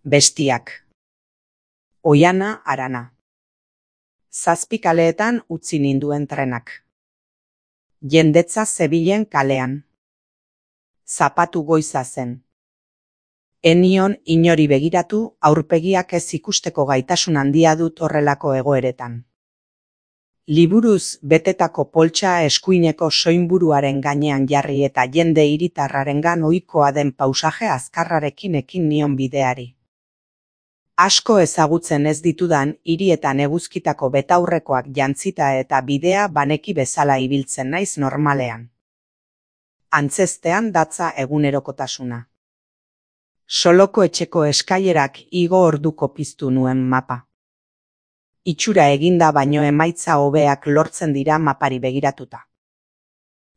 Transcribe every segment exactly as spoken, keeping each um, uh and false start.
Bestiak. Oiana Arana. Zazpi kaleetan utzi ninduen trenak. Jendetza zebilen kalean. Zapatu goiza zen. Enion inori begiratu, aurpegiak ez ikusteko gaitasun handia dut horrelako egoeretan. Liburuz betetako poltsa eskuineko soinburuaren gainean jarri eta jende hiritarrarengan ohikoa den pausaje azkarrarekin ekin nion bideari. Asko ezagutzen ez ditudan hirietan eguzkitako betaurrekoak jantzita eta bidea baneki bezala ibiltzen naiz normalean. Antzeztean datza egunerokotasuna. Soloko etxeko eskailerak igo orduko piztu nuen mapa. Itxura eginda baino emaitza hobeak lortzen dira mapari begiratuta.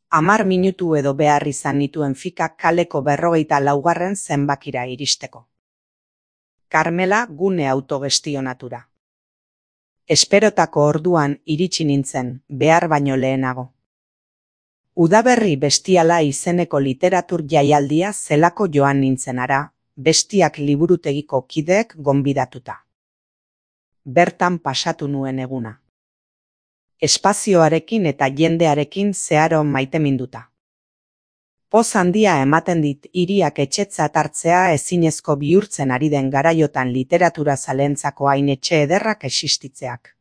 Hamar minutu edo behar izan nituen fikak kaleko berrogeita laugarren zenbakira iristeko. Karmela gune autogestionatura. Esperotako orduan iritsi nintzen, behar baino lehenago. Udaberri bestiala izeneko literatur jaialdia zelako joan nintzenara, bestiak liburutegiko kideek gonbidatuta. Bertan pasatu nuen eguna. Espazioarekin eta jendearekin zeharo maiteminduta. Poz handia ematen dit hiriak etxetzat hartzea ezinezko bihurtzen ari den garaiotan literatura zalentzako hain etxe ederrak existitzeak.